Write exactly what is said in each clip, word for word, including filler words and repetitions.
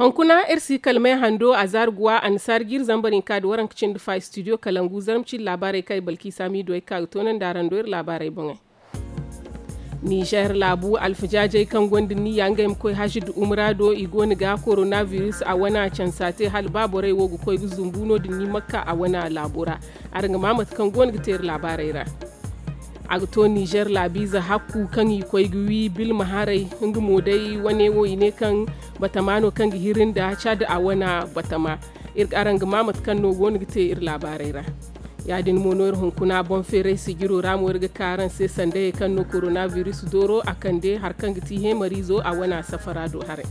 Hunkuna iri si kala may hando a zaari guwa annasaari jiiri zambar hinka nda waranka cindi fa istidiyo kalangu zarma cindi laabaarey kaŋ i balki saamiido ay ga ka ga toonandi araŋ do iri laabaarey boŋey. Nizer laabu alfajaajey kaŋ gonda niyya ngey ma koy hazi nda umra do i go no ga korona biris a wana cansa te hala ba borey wo ga koy ga zumbu no- din ni makka a wana laabo ra. Araŋ ga ma mate kaŋ go no ga te iri laabaarey ra. A ga to nizer laabiize hakku kaŋ i koy ga wi bilma haray nga mo day wane wo i ne kaŋ batama no kaŋ ga hiri nda cad a wana batama. Iri ga araŋ ga ma mate kaŋ no go no ga te iri laabaarey ra. Ya- din mo no iri hunkuna boŋ feeray sijiro ra mo iri ga ka araŋ se sandayey kaŋ no korona biris dooro a kande hari kaŋ ga ti heemariizo a wana safara do haray.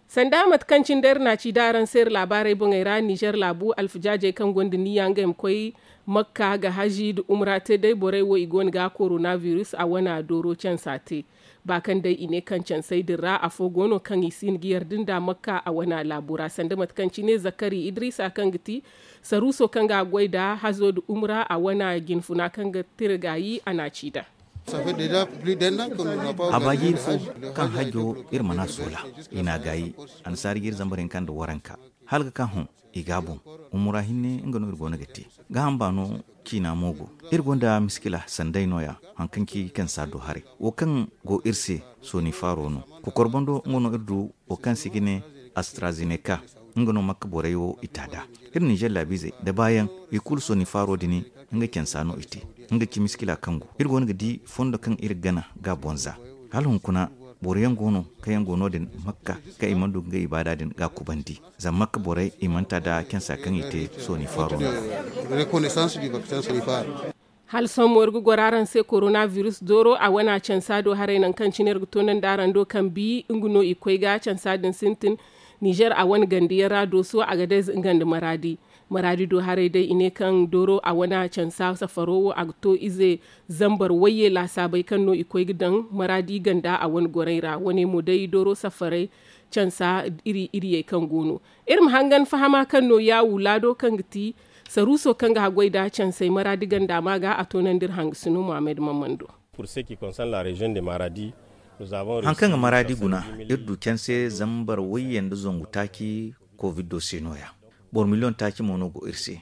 Sanda mate kaŋ cine day iri na a ci da araŋ se iri laabaarey boŋey ra nizer laabu alfajaajey kaŋ gonda niyya ngey ma koy makka ga hazi nda umra te day borey wo i go no ga korona biris a wana dooro cansa te. Ba kaŋ day i ne kaŋ cansey din ra afo go no kaŋ i si hin ga yarda nda makka a wana laabo ra sanda mate kaŋ cine zakari idrisa kaŋ ga ti saruuso kaŋ ga a goy nda hazo nda umra a wana jinfuna kaŋ ga tira gaayi a na a ci nd'a. A baaji iri fo kaŋ hajjo iri mana soola i na a gaayi annasaari ga iri zambar hinka nda waranka hala ga ka hõ i ga a boŋ. Umura hinne nga no iri go no ga te gaaham baano ciina mo go. Iri gonda miskila sanday no- ya haŋ kaŋ ci kansa do haray wo kaŋ go iri se sooni faaro no. Kokor bando nga no iri du wo kaŋ se i ga ne astrazineka. Nga no makka borey wo i ta nd'a iri ninzeer laabiizey nda baayaŋ i kulu sooni faaro din nga cansa no i te. Nga ci miskila kaŋ go iri go no ga di fondo kaŋ iri ga gana ga a boŋ za hala hunkuna boro yaŋ go no kaŋ yaŋ go no- din makka kaŋ i mana du ga ngey ibaada din ga a kubandi. Zama makka borey i mana ta nda cansa kaŋ i te sooni faaro no. Hala sohõ mo iri ga goro araŋ se korona biris dooro a wane a cansa do haray nangu kaŋ cine iri ga toonandi araŋ do kaŋ bi nga no i koy ga cansa din sintin. Ninzeer a wane ganda yaŋ ra dooso a ga day nga nda maraadi. Maraadi do haray day i ne kaŋ dooro a wane a cansa safaro wo a ga to ize zambar wayye laasaabey kaŋ no i koy ga daŋ maraadi ganda a wane gorey ra wane mo day dooro safaray cansa iri iriyey kaŋ go no. Iri ma hangan fahama kaŋ no yaawu laado kaŋ ga ti saruuso kaŋ ga haggoy nda cansey maraadi ganda ma ga a toonandi iri hangasino muhammad mammando. Haŋ kaŋ ga maraadi guna iri du canse zambar wayye nda zangu taaci koviddo se no- ya. Boro miliyoŋ taaci mo no go iri se.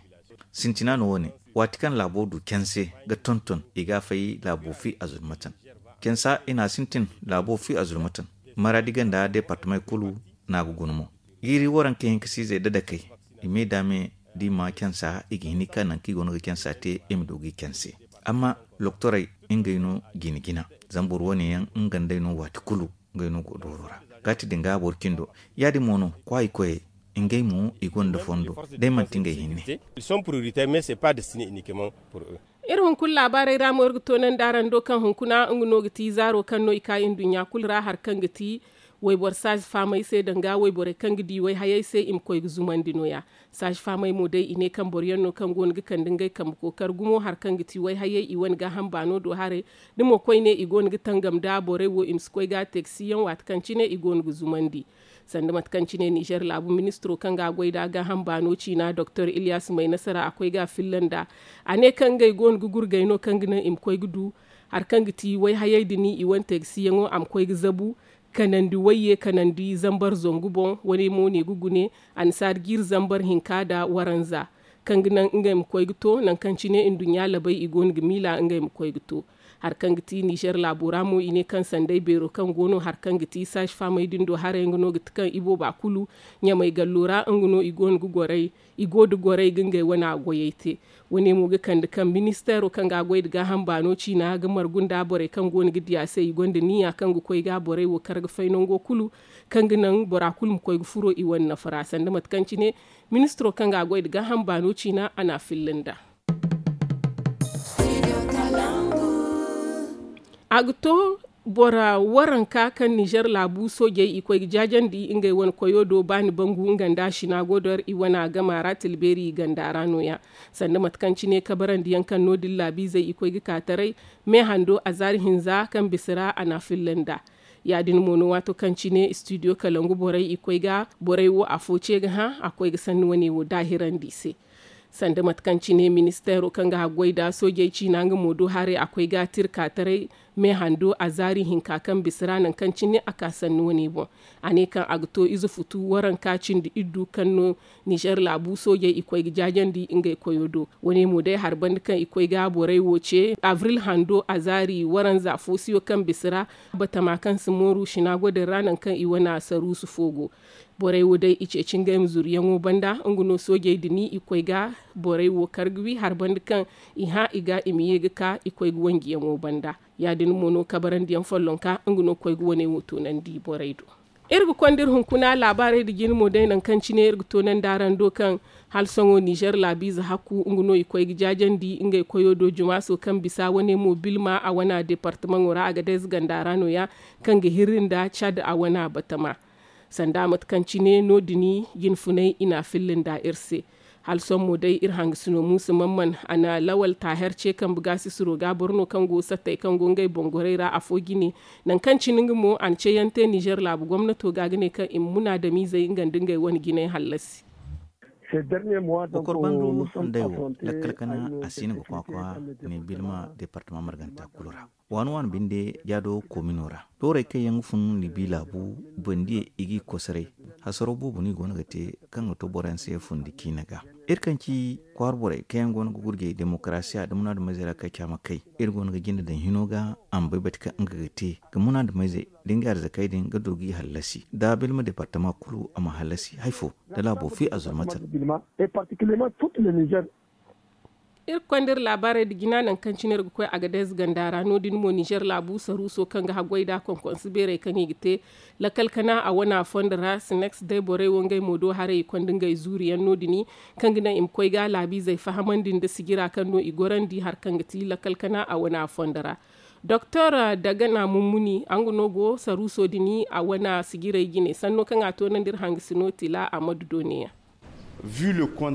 Sintina no wo- ne waati kaŋ laabo du canse ga tonton i ga a fay laabo fi azurmatan. Cansa i na a sintin laabo fi azurmatan. Maraadi ganda deepartamey kulu no a ga guna mo. Jiiri waranka hinka siizey dadakey i me da me da i ma cansa i ga hin ga ka nangu kaŋ i go no ga cansa te i ma du ga i canse. Amma loktorey ngey no jina jina zama boro wane yaŋ nga nd'ey no waati kulu ngey no go dooro ra. Ga ti da nga boro cindo ya- din mo no kwaayi koyey ngey mo i gonda fondo da ay manti ngey hinne. Iri hunkuna laabaarey ra mo iri ga toonandi araŋ do kaŋ hunkuna nga no ga ti zaaro kaŋ no i ka nduɲɲa kulu ra hari kaŋ ga ti wayboro saazi faamey se danga wayborey kaŋ ga di wayhayey se i ma koy ga zumandi no- ya. Saazi faamey mo day i ne kaŋ boro yaŋ no kaŋ go no ga kande ngey kambe kookari gumo hari kaŋ ga ti wayhayey i wane gaaham baano do haray. Da mo koyne i go no ga tangam nda borey wo i ma si koy ga a teegasiyaŋ waati kaŋ cine i go no ga zumandi. Sanda mate kaŋ cine ninzeer laabu ministiro kaŋ ga a goy nda gaaham baano ciina doktor iliyas maynasara a koy ga a filla nd'a. A ne kaŋ ngey go no ga gurgay no kaŋ ga naŋ i ma koy ga du hari kaŋ ga ti wayhayey din i wane teegasiyaŋo a ma koy ga zabu kanandi wayye kanandi zambar zangu boŋ. Wane mo ne ga gune annasaari jiiri zambar hinka nda waranza kaŋ ga naŋ ngey ma koy ga to nangu kaŋ cine nduɲɲa labey i go no ga miila ngey ma koy ga to. Hari kaŋ ga ti ninzeer laabo ra mo i ne kaŋ sanday beero kaŋ go no hari kaŋ ga ti saazi faamey din do haray nga no ga ti kaŋ ibooba kulu ɲamay gallo ra nga no i go no ga gorey i go nda gorey ga ngey wane goyey te. Wane mo ga kande kaŋ ministeero kaŋ ga a goy nda gaaham baano ciina ga margu nda borey kaŋ go no ga di a se i gonda niya kaŋ ga koy ga borey wo kar ga fay nango kulu kaŋ ga naŋ bora kulu ma koy ga furo i wane nafa ra sanda mate kaŋ cine ministiro kaŋ ga a goy nda gaaham baano ciina a na a filla nd'a. A ga to bora waranka kaŋ ninzeer laabu soojey i koy ga jaajandi ngey wane koyo do baani bangu nga nda sinagodor i wane a gama ra tilbeeri ganda ra no- ya. Sanda mate kaŋ cine kabarandiyaŋ kaŋ no- din laabiizey i koy ga ka taray me hando azaari hinza kaŋ bisa ra a na a filla nd'a. Ya- din mo no waato kaŋ cine istidiyo kalangu borey i koy ga borey wo afo ce ga hã a koy ga sanni wane wo daahirandi i se. Sanda mate kaŋ cine ministeero kaŋ ga haggoy nda soojey ciina nga mo do haray a koy ga tirka taray me hando a zaari hinka kaŋ bisa ra nangu kaŋ cine a ka sanni wane boŋ. A ne kaŋ a ga to ize futu waranka cindi iddu kaŋ no nizer laabu soojey i koy ga jaajandi ngey koyo do. Wane mo day hari banda kaŋ i koy ga borey wo ce abril hando a zaari waranza foosiyo kaŋ bisa ra batama kaŋ si mooru sinagodin ra nangu kaŋ i wane saruusu fo go. Borey wo day i ceeci ngey ma zuru yaŋo banda nga no soojey din i koy ga borey wo kar ga wi hari banda kaŋ i hã i ga i ma ye ga ka i koy ga wanji yaŋo banda. Ya- din mo no kabarandi yaŋ follonka nga no koy ga wane wo toonandi borey do. Iri ga konda iri hunkuna laabaarey nda jine mo day nangu kaŋ cine iri ga toonandi araŋ do kaŋ hala sohõ nizer laabiize hakku nga no i koy ga jaajandi ngey koyo do jumaaso kaŋ bisa wane mo bilma a wane deepartamaŋo ra a ga day ze ganda ra no- ya kaŋ ga hirri nda cad a wane batama. Sanda mate kaŋ cine no- din jinfunay i n'a filla nda iri se. Hala sohõ mo day iri hangasino muusa mamman a na lawal taaher ce kambe gaasisiro ga boro no kaŋ go sattey kaŋ go ngey boŋ gorey ra afo jine. Nangu kaŋ cine nga mo a na ceeyaŋ te nizer laabu gomnato ga ga ne kaŋ i ma munaadamiizey nga nda ngey wane jinay hallasi. Kokor bando handay wo lakkal kana a si no ga kwakwa ne bilma deepartama marganta kulu ra. Waani waani binde jaado koomino ra doorey kaŋ yaŋ ga fun libi laabu bandiyey i g'i kosoray. Hasaro boobo no i go no ga te kaŋ ga to boroyaŋ se fundi ciine ga. Iri kaŋ ci kwaara borey kaŋ yaŋ go no ga gurjay demokarasiya nda munaadamizey ra kaŋ caama kay iri go no ga jinde daŋ hino ga a ma bay bate kaŋ nga ga te ga munaadamizey da ngey arzakey din ga du g'i hallasi da bilma deepartama kulu a ma hallasi hari fo da laabo fi a zurmate ra. Iri ga konda iri laabaarey nda jina nangu kaŋ cine iri ga koy agadez ganda ra no- din mo nizer laabu saruuso kaŋ ga haggoy nd'a konkonse beerey kaŋ i ga te lakkal kana a wane a fondo ra sineks day borey wo ngey mo do haray i konda ngey zuuri yaŋ no- din kaŋ ga naŋ i ma koy ga laabiizey fahamandi nda sijira kaŋ no i gorandi hari kaŋ ga ti lakkal kana a wane a fondo ra. Doktor dagana mummuni nga no go saruuso din a wane sijirey jine sanno kaŋ a toonandi iri hangasino tila a ma du dooniyaŋ.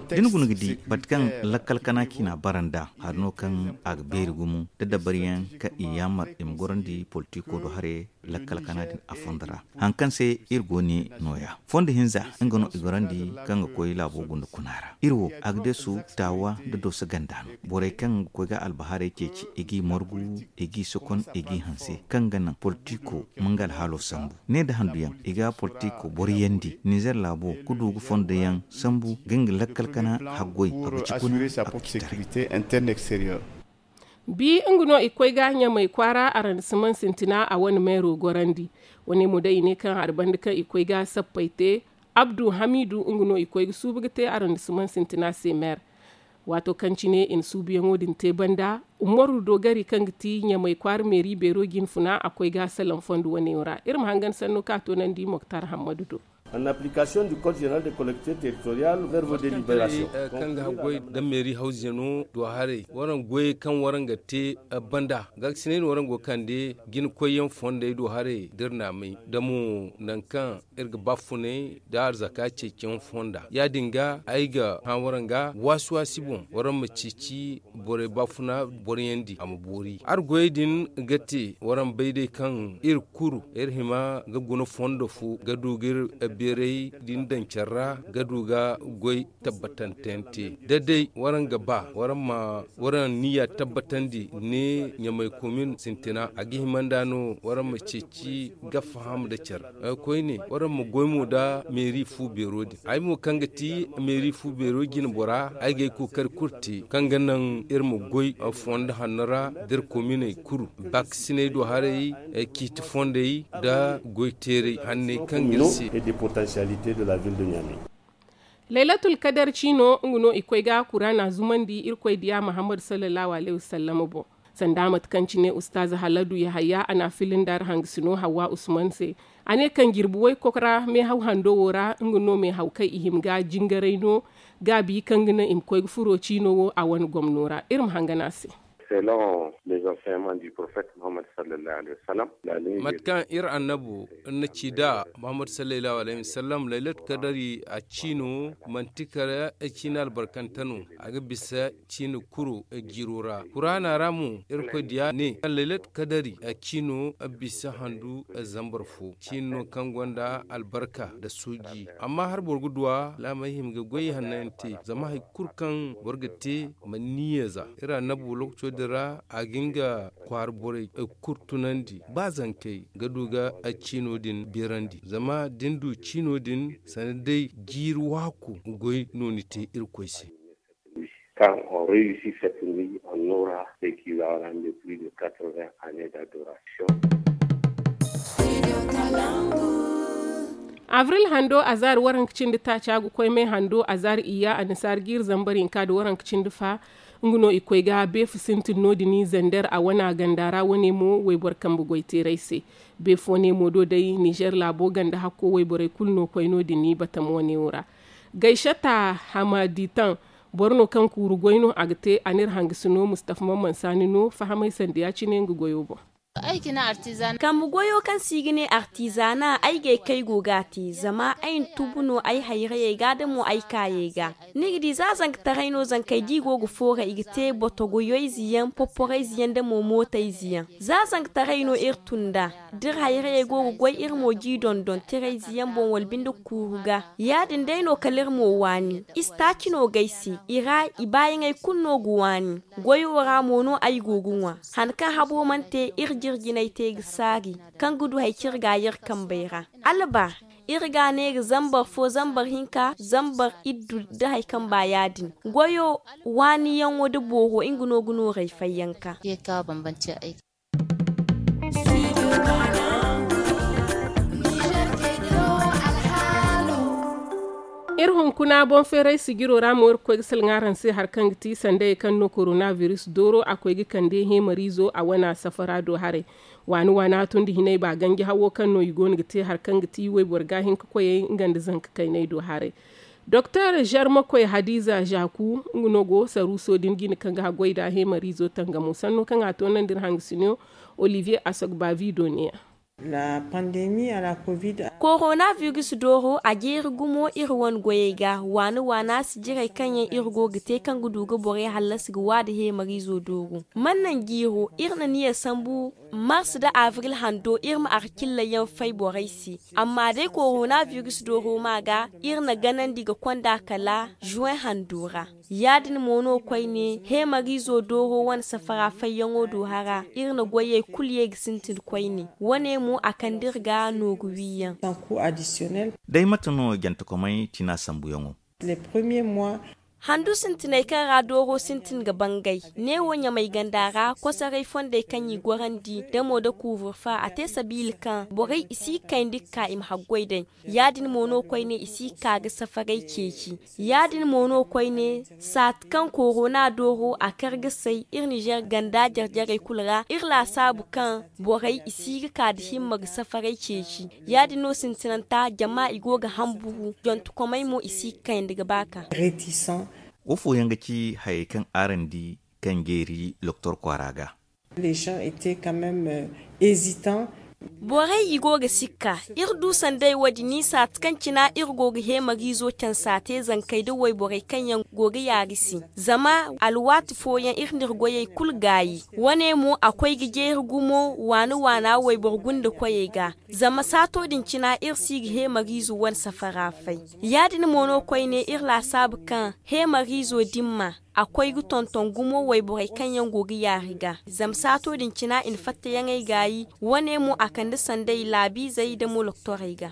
Da ni guna ga di bate kaŋ lakkal kana ciina bara nd'a hari no kaŋ a ga beeri gumo da dabariyaŋ kaŋ i yaamar i ma gorandi politiko do haray lakkal kana din a fondo ra. Hari kaŋ se iri go ne nooya fondo hinza nga no i gorandi kaŋ ga koy laabo gunda kuna ra iri wo agadesu taawa nda dooso ganda no. Borey kaŋ ga koy ga albahaarey ceeci i g'i margu i g'i sokon i g'i hanse kaŋ ga naŋ politiko ma nga alhaalo sambu ne nda handuyaŋ i ga politiko boroyandi nizer laabo ga du ga fondo yaŋ sambu ga nga lakkal kana haggoy a ga ci kuna a ga ci taray. Bi nga no i koy ga ɲamay kwaara arrondissement sintina a wane meero gorandi. Wane mo day i ne kaŋ hari banda kaŋ i koy ga sappey te abdu hamiidu nga no i koy ga suubu ga te arrondissement sintina se meer. Waato kaŋ cine i na suubuyaŋo din te banda umaru dogari kaŋ ga ti ɲamay kwaara meeri beero jinfuna a koy ga salaŋ fondo wane ra iri ma hangan sanno kaŋ a toonandi moktar hammadu do. An application du code général de collectivité territoriale verbo délibération. Kaŋ ga haggoy da meeri hawzeno do haray waraŋ goyey kaŋ waraŋ ga te banda gaakisinay no waraŋ go ga kande jina koyyaŋ fondey do haray da iri na a may da mo nangu kaŋ iri ga baafunay da arzaka ceeciyaŋ fonda ya- din ga ay ga hã waraŋ ga waasi waasi boŋ waraŋ ma ceeci borey baafuna boroyandi a ma boori hari goyey din ga te waraŋ bay day kaŋ iri kulu iri hima ga guna fondo fo ga du ga iri beeray din daŋ care ra ga du ga goy tabbatante yaŋ te da day waraŋ ga ba waraŋ ma waraŋ niya tabbatandi ne ɲamay komin sintina a ga hima nd'a no waraŋ ma ceeci ga faham nda care koyne waraŋ ma goy mo nda meeri fu beero din ay mo kaŋ ga ti meeri fu beero jine bora ay ga ay kookari kulu te kaŋ ga naŋ iri ma goy fondo hanno ra da iri kominey kulu baakasiney do haray ciiti fondey nda goy teeray hanney kaŋ ga iri se. Laylatul kadar ciino nga no i koy ga kuraana zumandi irkoy diya muhammadu sallallahu alayhi wasallama boŋ. Sanda mate kaŋ cine ustaaza haladu yahaya a na a fili nda ra hangasino hawwa usman se. A ne kaŋ jirbi woy koko ra meehaw hando wo ra nga no meehaw kaŋ i hima ga jingaray no gaabi kaŋ ga naŋ i ma koy ga furo ciino wo a wane gomno ra iri ma hangan a se. Selon les enseignements du prophète Muhammad sallallahu alaihi wasallam, la nuit mate kaŋ iri annabo na ci da Muhammad sallallahu alaihi wasallam, laylat kadari a ciino manti kala ciina albarkante no. A ga bisa ciina kuro jiiro ra. Kuraana ra mo, irkoy diya ne kaŋ laylat kadari a ciino bisa handu zambar fo ciino no kaŋ gonda albarka nda suuji. Amma hari boro ga duw'a laamey hima ga goy hanno yaŋ te, zama hari kulu kaŋ boro ga te ma niyya za. Iri annabi wo lokaco din ra a ga nga kwaara borey kulu tunandi ba zankey ga du ga ciino din beerandi. Zama da ni du ciino din sanda day jiiri waaku goy no ni te irkoy se. Quand on réussit cette nuit, on aura ce qui va rendre plus de quatre-vingts années d'adoration. Avril hando azaari waranka cindi taaca ga koy may hando azaari iyya annasaari jiiri zambar hinka nda waranka cindi fa. Nga no i koy ga beefu sintin no- din zander a wana ganda ra wane mo wayboro kambe goy teeray se. Beefu wane mo do day nizer laabo ganda hakko wayborey kulu no koy no- din batama wane wo ra. Gayshata hamaditan boro no kaŋ kuuru goy no a ga te a n'iri hangasino mustafa mamman saani no fahamay sanda ya- cine nga goyo boŋ. Kambe goyo kaŋ se i ga ne artizana ay gay kaŋ ay go ga a te zama ay na tubu no ay hayrayey ga da mo ay kaayey ga. Ni ga di za zankataray no zankey da i go ga foora i ga te boto goyoyze yaŋ poporayze yaŋ da mo mootayze yaŋ. Za zankataray no iri tun nd'a da iri hayrayey go ga goy iri mo g'i dondon tirayze yaŋ boŋ wala binde kuuru ga. Ya- din day no kala iri mo waani. Istaaci no g'ay se i ra i baayaŋey kulu no ga waani. Goyo ra mo no ay go ga ŋwa. Han kaŋ habo mana te iri jirjinay te ga saari kaŋ ga du hari kaŋ iri ga a iri kambey ra. Alba iri ga a ne ga zambar fo zambar hinka zambar iddu da hari kaŋ ba ya- din. Goyo waaniyaŋo da booro nga no ga nooray fayyanka. Iri hunkuna boŋ feeray sijiro ra mo iri ga koy ga salaŋ araŋ se hari kaŋ ga ti sandayey kaŋ no korona biris dooro a koy ga kande heemariizo a wana safara do haray. Waani waani a tun da hinay ba ganji hawo kaŋ no i go no ga te hari kaŋ ga ti wayboro ga hinka koyey nga nda zanka kaynay do haray. Doktor zarmakoy hadiza zaku nga no go saruuso din jine kaŋ ga haggoy nd'a heemariizo tangamo sanno kaŋ a toonandi iri hangasino olivier asogbavi do ne-ya. Korona virus dooro a jeeri gumo iri wane goyey ga waani waana sijirey kaŋ yaŋ iri go ga te kaŋ ga du ga borey hallasi ga waada heemariizo dooro. Man naŋ jiiro iri na niya sambu mars nda abril hando iri ma arkillayaŋ fay borey se. Amma day korona virus dooro ma ga iri na ganandi ga konda kala juwen hando ra. Ya- din mo no koyne heemariizo dooro wane safara fayyaŋo do hara iri na goyey kulu ye ga sintin koyne wane mo a kande iri ga nooru wiiyaŋ. Day mate no jantekomey tina sambuyaŋo? Handu sintiney kaŋ ra dooro sintin ga bangay neewo ɲamay ganda ra kosoray fondey kaŋ i gorandi damo nda kuuburfa a te sabiila kaŋ borey i si ga kayndi ga ka i ma haggoy day. Ya- din mo no koyne i si ga ka ga safaray ceeci. Ya- din mo no koyne saati kaŋ korona dooro a kar ga say iri nizer ganda jare-jarey kulu ra iri laasaabu kaŋ borey i si ga ka nda himma ga safaray ceeci. Ya- din no sintinanta jama i go ga hamburu jontukomey mo i si ga kayandi ga ba ka. Wo fooyaŋ ga ci hayey kaŋ araŋ di kaŋ jeeri doktor kwaara ga? Borey i go ga sikka. Iri du sanday wo- din ni saati kaŋ cina iri go ga heemariizo cansa te zankey nda wayborey kaŋ yaŋ go ga yaari se. Zama alwaati fooyaŋ iri n'iri goyey kulu gaayi. Wane mo a koy ga jeeri gumo waani waana wayboro gunda koyey ga. Zama saato din cina iri si ga heemariizo wane safara fay. Ya- din mo no koyne iri laasaabu kaŋ heemariizo dimma a koy ga tonton gumo wayborey kaŋ yaŋ go ga yaari ga. Zama saato din cina i na fattayaŋey gaayi. Wane mo a kande sanday laabiizey da moloktorey ga.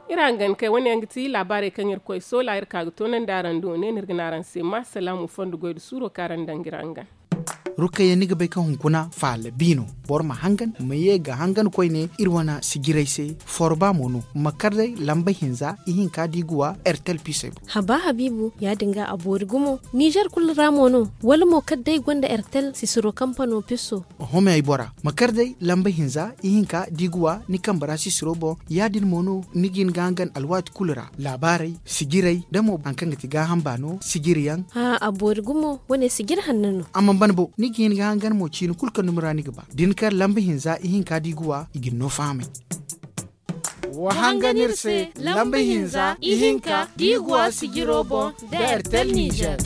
Iri hangan kay wane yaŋ ga ti laabaarey kaŋ iri koy soola iri ka ga toonandi araŋ do ne no iri ga ne araŋ se ma salaamu fondo goy nda suuro kaŋ araŋ daŋ ga iri hangan. Rukayya, ni ga bay kaŋ hunkuna faala bi no. Boro ma hangan, ma ye ga hangan koyne iri wane sijirey se. Forba mo no, ma kar day lamba hinza ihinka da i ga wa ertel pisey boŋ. Haba habiibu, ya- din ga a boori gumo. Nizer kulu ra mo no, wala mo kar day gonda ertel sisiro kampano piso? Oho, me ay bora, ma kar day lamba hinza ihinka da i ga wa ni kambe ra sisiro boŋ. Ya- din mo no ni ga hin ga hangan alwaati kulu ra. Laabaarey, sijirey da mo hari kaŋ ga ti gaaham baano sijiri yaŋ. Haa, a boori gumo, wane sijiri hanno no. A mana ban bo, ni ga hin ga hangan mo ciini kulu kaŋ dumi ra ni ga ba. Da ni kar lamba hinza ihinka da i ga wa, i ga ni no fahamay. Wa hangan iri se, lamba hinza ihinka da i ga wa sijiro boŋ, da ertel nizer.